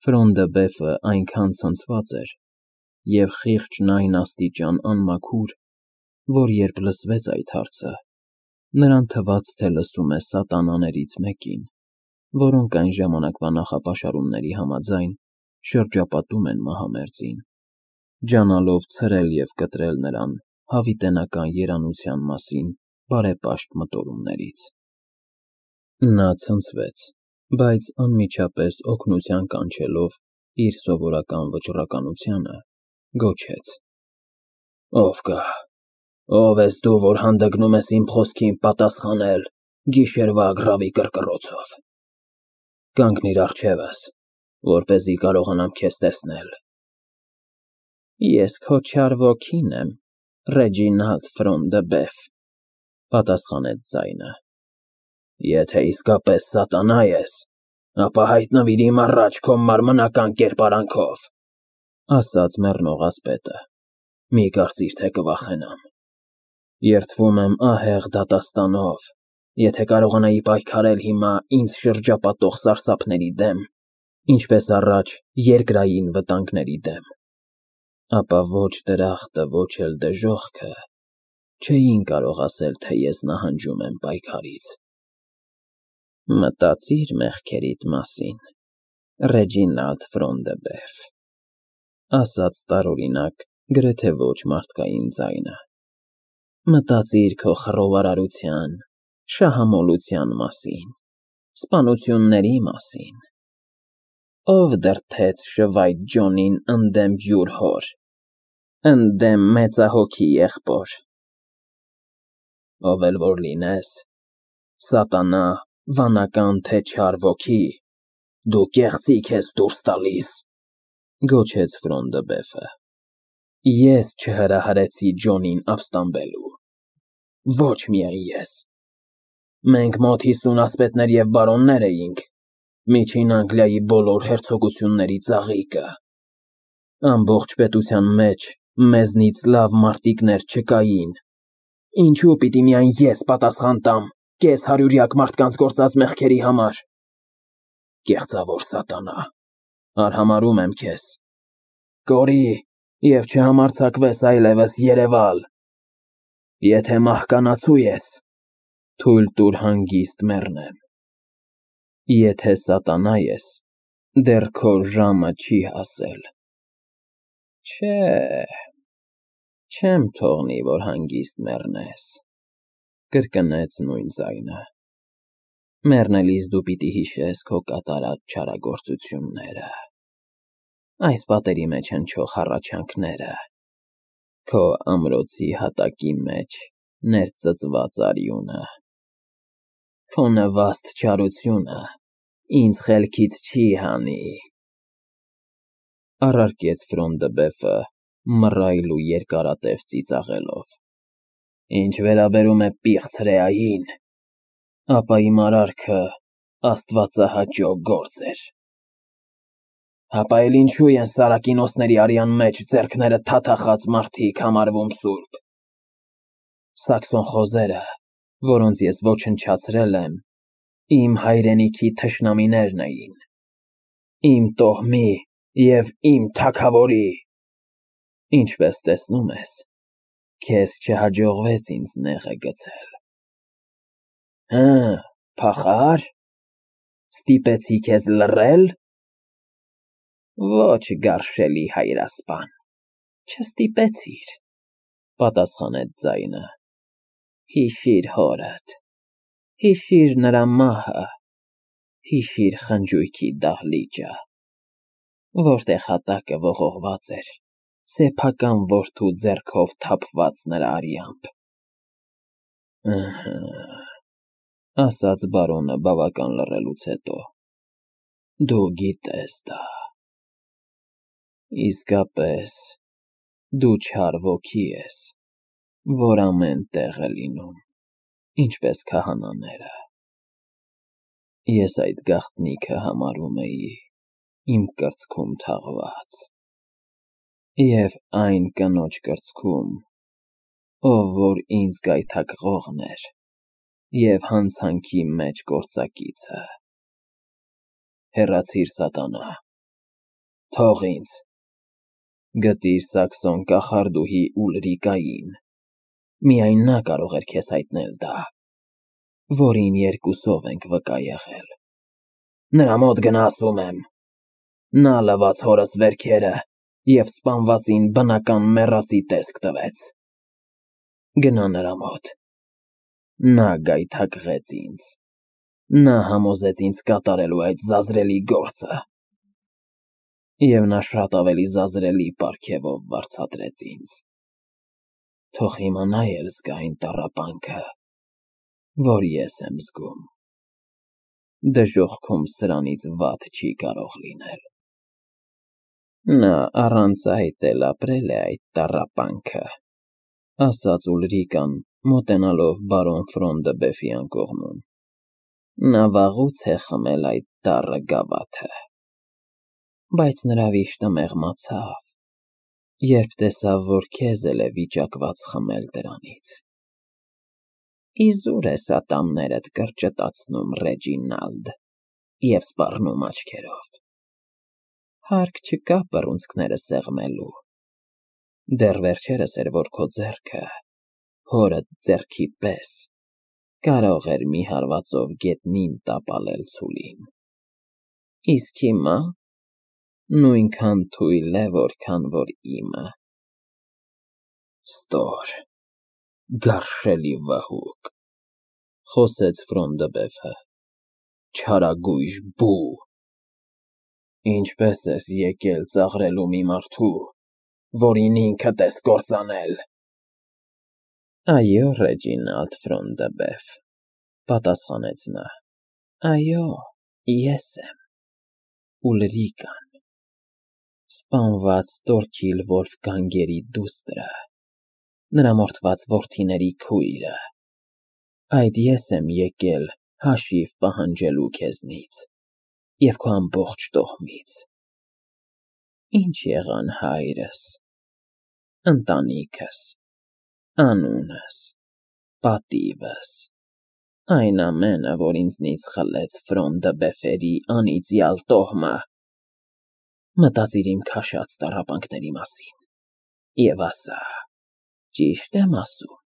Ֆրոնդը բեֆը այնքան ցնցված էր և խիղճն այն աստիճան անմաքուր, որ երբ լսվեց այդ հարցը, նրան թվաց, թե լսում է սատանաներից մեկին, որոնք այն ժամանակվա նախապաշարումների համաձայն շրջապատում են մահամերձին, ջանալով ցրել և կտրել նրան հավիտենական երանության մասին բարեպաշտ մտորումներից։ Նա ցնցվեց, բայց անմիջապես օգնության կանչելով իր սովորական վճռականությունը, գոչեց. «Ով կա, ով ես դու, որ հանդգնում ես իմ խոսքին պատասխանել գիշերվա ագռավի կռկռոցով։ Կանգնիր առջևս, որպեսզի կարողանամ քեզ տեսնել»։ «Ես քո չար ոգին եմ, Ռեջինալդ Ֆրոն դը Բեֆ», պատասխանեց ձայնը։ «Եթե իսկապես սատանա ես, ապա հայտնվիր իմ առաջ քո մարմնական կերպարանքով», ասաց մեռնող ասպետը։ «Մի կարծիր, թե կվախենամ։ Երդվում եմ ահեղ դատաստանով, եթե կարողանայի պայքարել հիմա ինձ շրջապատող սարսափների դեմ, ինչպես առաջ երկրային վտանգների դեմ, ապա ոչ դրախտը, ոչ էլ դժոխքը չէին կարող ասել, թե ես նահանջում եմ պայքարից»։ «Մտածիր մեղքերիդ մասին, Ռեջինալդ Ֆրոն դը Բեֆ», ասաց տարօրինակ, գրեթե ոչ մարդկային ձայնը։ «Մտածիր քո խռովարարության, շահամոլության մասին, սպանությունների մասին։ Ով դրդեց Շվայտ Ջոնին ընդդեմ յուր հոր, ընդդեմ մեծահոգի եղբոր։ Ով էլ որ լինես, սատանա, վանական թե չար ոգի, դու կեղծիք ես դուրս տալիս», գոչեց Ֆրոն դը Բեֆը։ «Ես չհրահրեցի Ջոնին ապստամբելու, ոչ միայն ես։ Մենք մոտ 50 ասպետներ և բարոններ էինք, Միջին Անգլիայի բոլոր հերցոգությունների ծաղիկը։ Ամբողջ պետության մեջ մեզնից լավ մարտիկներ չկային, ինչու պիտի միայն ես պատասխան տամ կես հարյուրյակ մարդկանց գործած մեղքերի համար։ Կեղծավոր սատանա, արհամարհում եմ քեզ, կորի և չհամարձակվես այլևս երևալ։ Եթե մահկանացու ես, թույլ տուր հանգիստ մեռնեմ։ Եթե սատանա ես, դեռ քո ժամը չի հասել։ Չէ, չեմ թողնի, որ հանգիստ մեռնես», կրկնեց նույն ձայնը։ «Մեռնելիս դու պիտի հիշես քո կատարած չարագործությունները, այս պատերի մեջ հնչող հառաչանքները, քո ամրոցի հատակի մեջ ներծծված արյունը։ Քո նվաստ չարությունը ինձ խելքից չի հանի», առարկեց Ֆրոն դը Բեֆը մռայլ ու երկարատև ծիծաղելով։ «Ինչ վերաբերում է պիղծ Ռեային, ապա իմ արարքը աստվածահաճո գործ էր։ Հապա էլ ինչու են Սարակինոսների արյան մեջ ձեռքները թաթախած մարդիկ համարվում սուրբ։ Սաքսոն խոզերը, որոնց ես ոչնչացրել եմ, իմ հայրենիքի թշնամիներն էին, իմ տոհմի և իմ թագավորի։ Ինչպես տեսնում ես, քեզ չհաջողվեց ինձ նեղը գցել։ Հը, փախա՞ր։ Ստիպեցի քեզ լռե՞լ։ Ոչ, գարշելի հայրասպան, չստիպեցիր, պատասխանեց ձայնը։ Հիշիր հորդ, հիշիր նրա մահը, հիշիր խնջույքի դահլիճը, որտեղ հատակը ողողված էր սեփական որդու ձեռքով թափված նրա արյամբ։ Ըհը, ասաց բարոնը բավական լռելուց հետո, դու գիտես դա։ Իսկապես, դու չար ոգի ես, որ ամեն տեղ է լինում, ինչպես քահանաները։ Ես այդ գաղտնիքը համարում էի իմ կրծքում թաղված, և այն կնոջ կրծքում, ով որ ինձ գայթակղողն էր և հանցանքի մեջ գործակիցը։ Հեռացիր, սատանա, Թող ինձ։ Գտիր Սաքսոն կախարդուհի Ուլրիկային։ Միայն նա կարող էր քեզ հայտնել դա, որին երկուսով ենք վկա եղել։ Նրա մոտ գնա, ասում եմ։ Նա լվաց հորս վերքերը և սպանվածին բնական մեռածի տեսք տվեց։ Գնա նրա մոտ։ Նա գայթակղեց ինձ։ Նա համոզեց ինձ կատարելու այդ զազրելի գործը։ Եվ նա շատ ավելի զազրելի պարգևով վարձատրեց ինձ։ Թող հիմա նա էլ զգա այն տառապանքը, որ ես եմ զգում։ Դժոխքում սրանից վատ չի կարող լինել։ Նա առանց այդ էլ ապրել է այդ տառապանքը, ասաց Ուլրիկան, մոտենալով բարոն Ֆրոնդեբեֆի անկողնում։ Նա վաղուց է խմել այդ տառը գավաթը։ Բայց նրա վիշտը մեղմացավ, երբ տեսավ, որ քեզ էլ է վիճակված խմել դրանից։ Իզուր ես ատամներդ կրճտացնում, Ռեջինալդ, և սպառնում աչքերով։ Հարկ չկա բռունցքները սեղմելու։ Դեռ վերջերս էր, որ քո ձեռքը, հորդ ձեռքի պես, կարող էր մի հարվածով գետնին տապալել ցուլին։ Իսկ հիմա նույնքան թույլ է, որքան որ իմը։ Ստոր, գարշելի վհուկ, խոսեց Ֆրոնդեբեֆը, չարագույժ բու։ Ինչպես ես եկել ծաղրելու մի մարդու, որին ինքդ ես կործանել։ Այո, Ռեջինալդ Ֆրոնդեբեֆ, պատասխանեց նա, այո, ես եմ, Ուլրիկան, սպանված Տորքիլ Վոլֆգանգերի դուստրը, նրա մորթված որդիների քույրը։ Այդ ես եմ եկել հաշիվ պահանջելու քեզնից և քո ամբողջ տոհմից։ Ինչ եղան հայրս, ընտանիքս, անունս, պատիվս, այն ամենը, որ ինձնից խլեց Ֆրոնդեբեֆերի անիծյալ տոհմը։ Մտածիր իմ քաշած տառապանքների մասին և ասա, ճի՞շտ եմ ասում։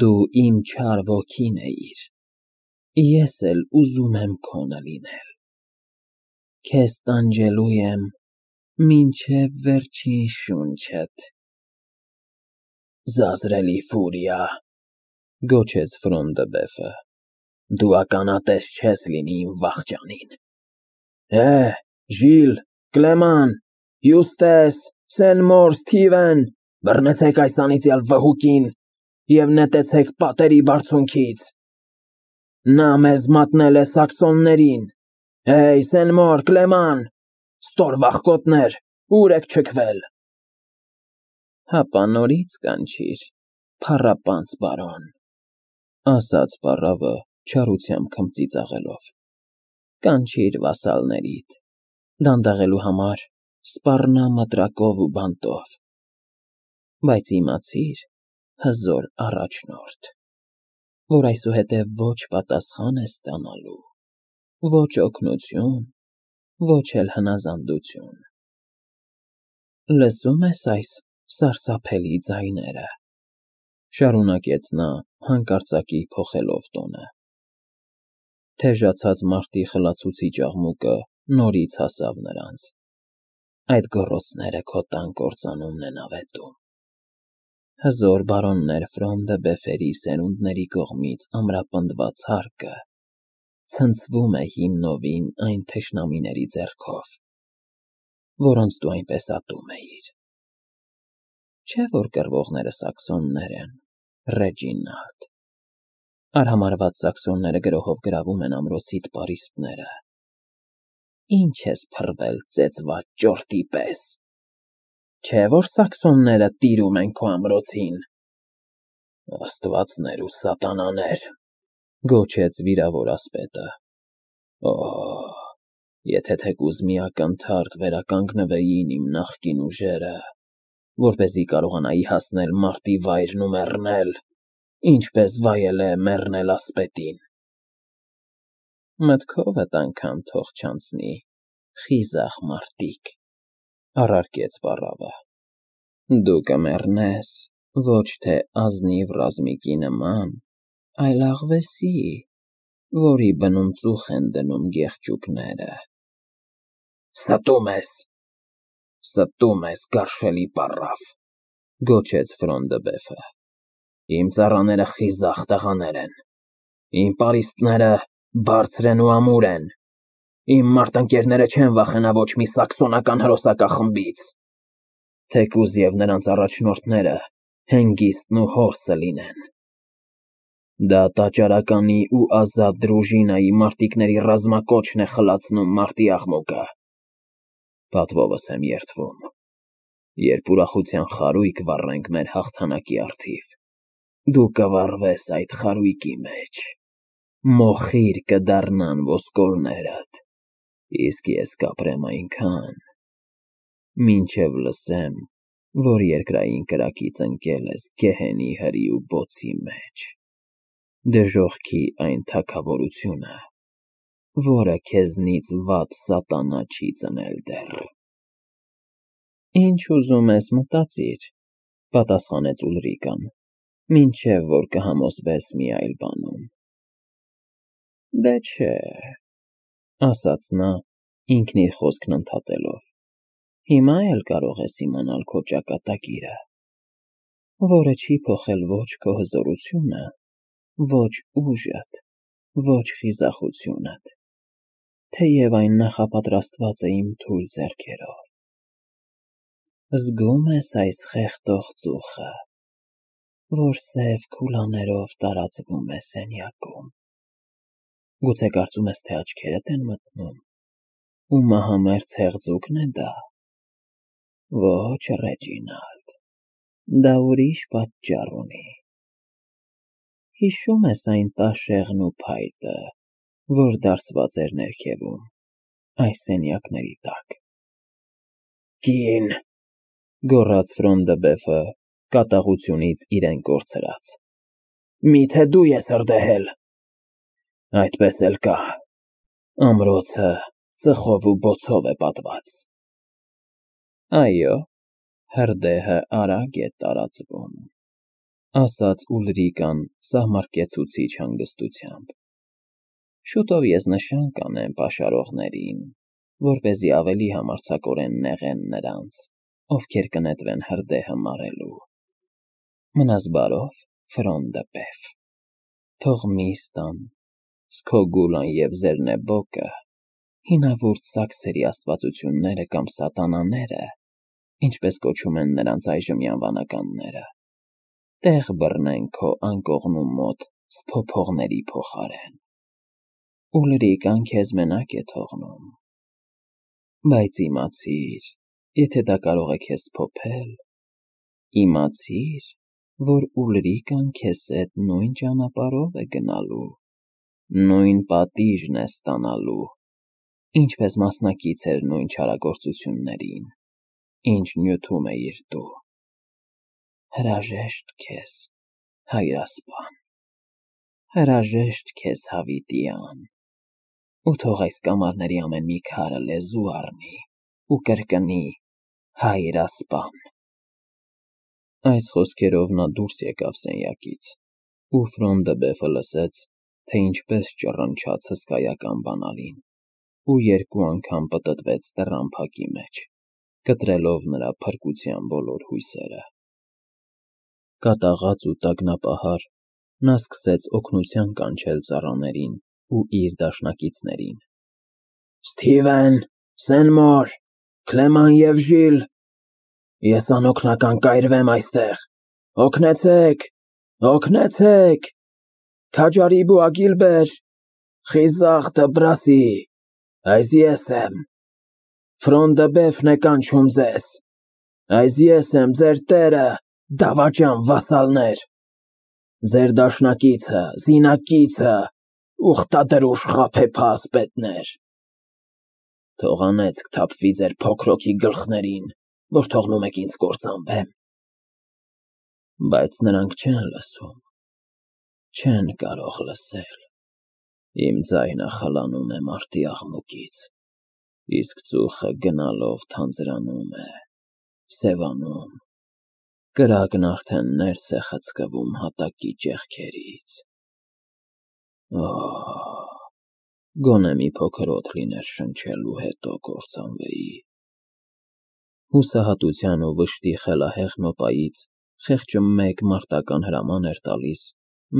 Դու իմ չար ոգին էիր, ես էլ ուզում եմ քոնը լինել։ Քեզ տանջելու եմ մինչև վերջին շունչդ։ Զազրելի ֆուրիա, գոչեց Ֆրոնդեբեֆը, դու ականատես չես լինի իմ վախճանին։ Ժիլ, Կլեման, Յուստես, Սենմոր, Սթիվեն, բռնեցեք այս անիծյալ վհուկին և նետեցեք պատերի բարձունքից։ Նա մեզ մատնել է սաքսոններին։ Սենմոր, Կլեման, ստոր վախկոտներ, ուր եք չքվել։ Հապա նորից կանչիր, փառապանծ բարոն, ասաց պառավը չարությամբ քմծի ծաղելով։ Կանչիր վասալներիդ, դանդաղելու համար սպառնա մտրակով ու բանտով։ Բայց իմացիր, հզոր առաջնորդ, որ այսուհետև ոչ պատասխան ես ստանալու, ոչ օգնություն, ոչ էլ հնազանդություն։ Լսում ես այս սարսափելի ձայները, շարունակեց նա հանկարծակի փոխելով տոնը։ Թեժացած մարտի խլացուցիչ աղմուկը նորից հասավ նրանց։ Այդ գոռոցները քո տան կործանումն են ավետում։ Հզոր բարոններ Ֆրոնդեբեֆերի սերունդների կողմից ամրապնդված հարկը ցնցվում է հիմնովին այն թշնամիների ձեռքով, որոնց դու այնպես ատում էիր։ Չէ՞ որ կռվողները սաքսոններ են, Ռեջինալդ։ Արհամարհված սաքսոնները գրոհով գրավում են ամրոցիդ պարիսպները։ Ինչ ես փռվել ծեծված ճորտի պես։ Չէ՞ որ սաքսոնները տիրում են քո ամրոցին։ Աստվածներ ու սատանաներ, գոչեց վիրավոր ասպետը։ Եթե թեկուզ մի ակնթարթ վերականգնվեին իմ նախկին ուժերը, որպեսզի կարողանայի հասնել մարտի վայրն ու մեռնել, ինչպես վայել է մեռնել ասպետին։ Մտքովդ անգամ թող չանցնի, խիզախ մարդիկ, առարկեց պառավը, դու կմեռնես ոչ թե ազնիվ ռազմիկի նման, այլ աղվեսի, որի բնում ծուխ են դնում գեղջուկները։ Ստում ես, գարշելի պառավ, գոչեց Ֆրոնդը Բեֆը, իմ ծառաները խիզախ տղաներ են, իմ պարիսպները բարձր են ու ամուր են, իմ մարտնկերները չեն վախենա ոչ մի սաքսոնական հրոսակախմբից, թեկուզ և նրանց առաջնորդները Հենգիստն ու Հորսը լինեն։ Դա տաճարականի ու ազատ դրուժինայի մարտիկների ռազմակոչն է խլացնում մարտի աղմուկը։ Պատվովս եմ երդվում, երբ ուրախության խարույկ վառենք մեր հաղթանակի առթիվ, դու կվառվես այդ խարույկի մեջ, մոխիր կդառնան ոսկորներդ, իսկ ես կապրեմ այնքան, մինչև լսեմ, որ երկրային կրակից ընկել ես գեհենի հրի ու բոցի մեջ, դժոխքի այն թագավորությունը, որը քեզնից վատ սատանա չի ծնել դեռ։ Ինչ ուզում ես մտածիր, պատասխանեց Ուլրիկան, մինչև որ կհամոզվես մի այլ բանում։ Դե չէ, ասաց նա, ինքն իր խոսքն ընդհատելով, հիմա էլ կարող ես իմանալ քո ճակատագիրը, որը չի փոխել ոչ քո հզորությունը, ոչ ուժդ, ոչ խիզախությունդ, թեև այն նախապատրաստված է իմ թույլ ձեռքերով։ Զգում ես այս խեղդող ծուխը, որ սև քուլաներով տարածվում է սենյակում։ Գուցե կարծում ես, թե աչքերդ են մթնում, ու մահամերձ հեղձուկն է դա։ Ոչ, Ռեջինալդ, դա ուրիշ պատճառ ունի։ Հիշում ես այն տաշեղն ու փայտը, որ դարսված էր ներքևում, այս սենյակների տակ։ Կին, գոռաց Ֆրոնդը Բեֆը, կատաղությունից իրեն կորցրած, միթե դու ես հրդեհել։ Այդպես էլ կա, ամրոցը ծխով ու բոցով է պատված։ Այո, հրդեհը արագ է տարածվում, ասաց Ուլրիկան սահմռկեցուցիչ հանգստությամբ։ Շուտով ես նշան կանեմ պաշարողներին, որպեսզի ավելի համարձակորեն նեղեն նրանց, ովքեր կնետվեն հրդեհը մարելու։ Մնաս բարով, Ֆրոնդը Բեֆ, թող Միստան, Սքոգուլան և Զերնեբոկը, հինավուրց սաքսերի աստվածությունները կամ սատանաները, ինչպես կոչում են նրանց այժմյան վանականները, տեղ բռնեն քո անկողնու մոտ սփոփողների փոխարեն։ Ուլրիկան քեզ մենակ է թողնում, բայց իմացիր, եթե դա կարող է քեզ սփոփել, իմացիր, որ Ուլրիկան քեզ հետ նույն ճանապարհով է գնալու, նույն պատիժն է ստանալու, ինչպես մասնակից էր նույն չարագործություններին, ինչ նյութում էիր դու։ Հրաժեշտ քեզ, հայրասպան, հրաժեշտ քեզ հավիտյան, ու թող այս կամարների ամեն մի քարը լեզու առնի ու կրկնի հայրասպան։ Այս խոսքերով նա դուրս եկավ սենյակից, ու Ֆրոնդը Բեֆը լսեց, թե ինչպես ճռնչաց հսկայական բանալին, ու երկու անգամ պտտվեց տռամփակի մեջ, կտրելով նրա փրկության բոլոր հույսերը։ Կատաղած ու տագնապահար, նա սկսեց օգնության կանչել ծառաներին ու իր դաշնակիցներին։ Սթիվեն, Սենմոր, Քլեման և Ժիլ, ես անօգնական կայրվեմ այստեղ, օգնեցեք, օգնեցեք, Քաջարիբ ու Ագիլբեր, խիզախ Դբրասի, այս ես եմ, Ֆրոնդը Բեֆն է կանչում ձեզ, այս ես եմ ձեր տերը, դավաճան վասալներ, ձեր դաշնակիցը, զինակիցը, ուխտադրուժ խաբեբա ասպետներ։ Թող անեծք թափվի ձեր փոքրոքի գլխներին, որ թողնում եք ինձ կործանվեմ։ Բայց նրանք չեն լսում, չեն կարող լսել, իմ ձայնը խլանում է մարտի աղմուկից, Իսկ ծուխը գնալով թանձրանում է, սևանում, կրակն արդեն ներս է խցկվում հատակի ճեղքերից։ Գոնե մի փոքր օդ լիներ շնչելու, հետո կործանվեի։ Հուսահատության ու վշտի խելահեղ նոպայից խեղճը մեկ մարտական հրաման էր տալիս,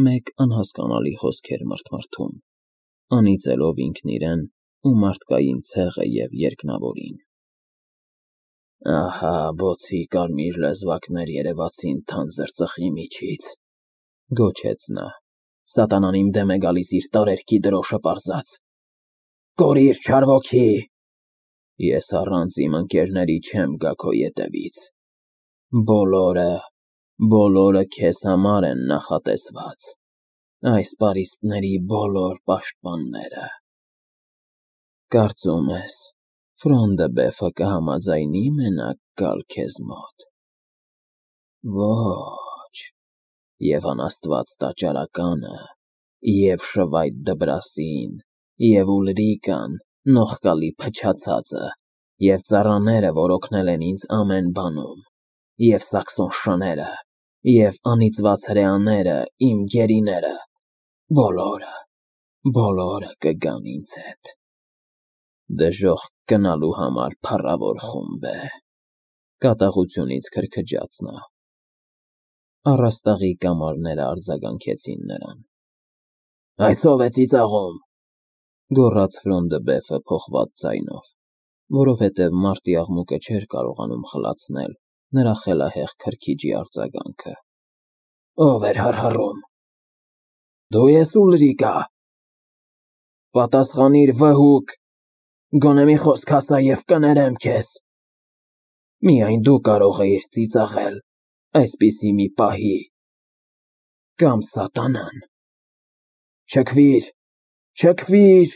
մեկ անհասկանալի խոսքեր մրթմրթում, անիծելով ինքն իրեն ու մարդկային ցեղը և երկնավորին։ Ահա բոցի կարմիր լեզվակներ երևացին թանձր ծխի միջից, գոչեց նա, սատանան իմ դեմ է գալիս իր տարերքի դրոշը պարզած։ Կորիր, չար ոգի, ես առանց իմ ընկերների չեմ գա քո ետևից, բոլորը քեզ համար են նախատեսված, այս պարիսպների բոլոր պաշտպանները։ Կարծում ես, Ֆրոնդբեֆը կհամաձայնի մենակ գալ քեզ մոտ։ Ոչ, և անաստված տաճարականը, և Շվայտ Դբրասին, և Ուլրիկան, նողկալի փչացածը, և ծառաները, որ օգնել են ինձ ամեն բանում, և Սաքսոն շները, և անիծված հրեաները, իմ գերիները, բոլորը կգան ինձ հետ։ Դժոխք գնալու համար փառավոր խումբ է, կատաղությունից քրքջաց նա։ Առաստաղի կամարները արձագանքեցին նրան։ Այս ո՞վ է ծիծաղում, գոռաց Ֆրոնդբեֆը փոխված ձայնով, որովհետև մարտի աղմուկը չէր կարողանում խլացնել նրա խելահեղ քրքիջի արձագանքը։ Ո՞վ էր հռհռում։ Դու ես, Ուլրիկա։ Պատասխանիր, վհուկ, գոնե մի խոսք ասա և կներեմ քեզ։ Միայն դու կարող էիր ծիծաղել այսպիսի մի պահի, կամ սատանան։ Չքվիր,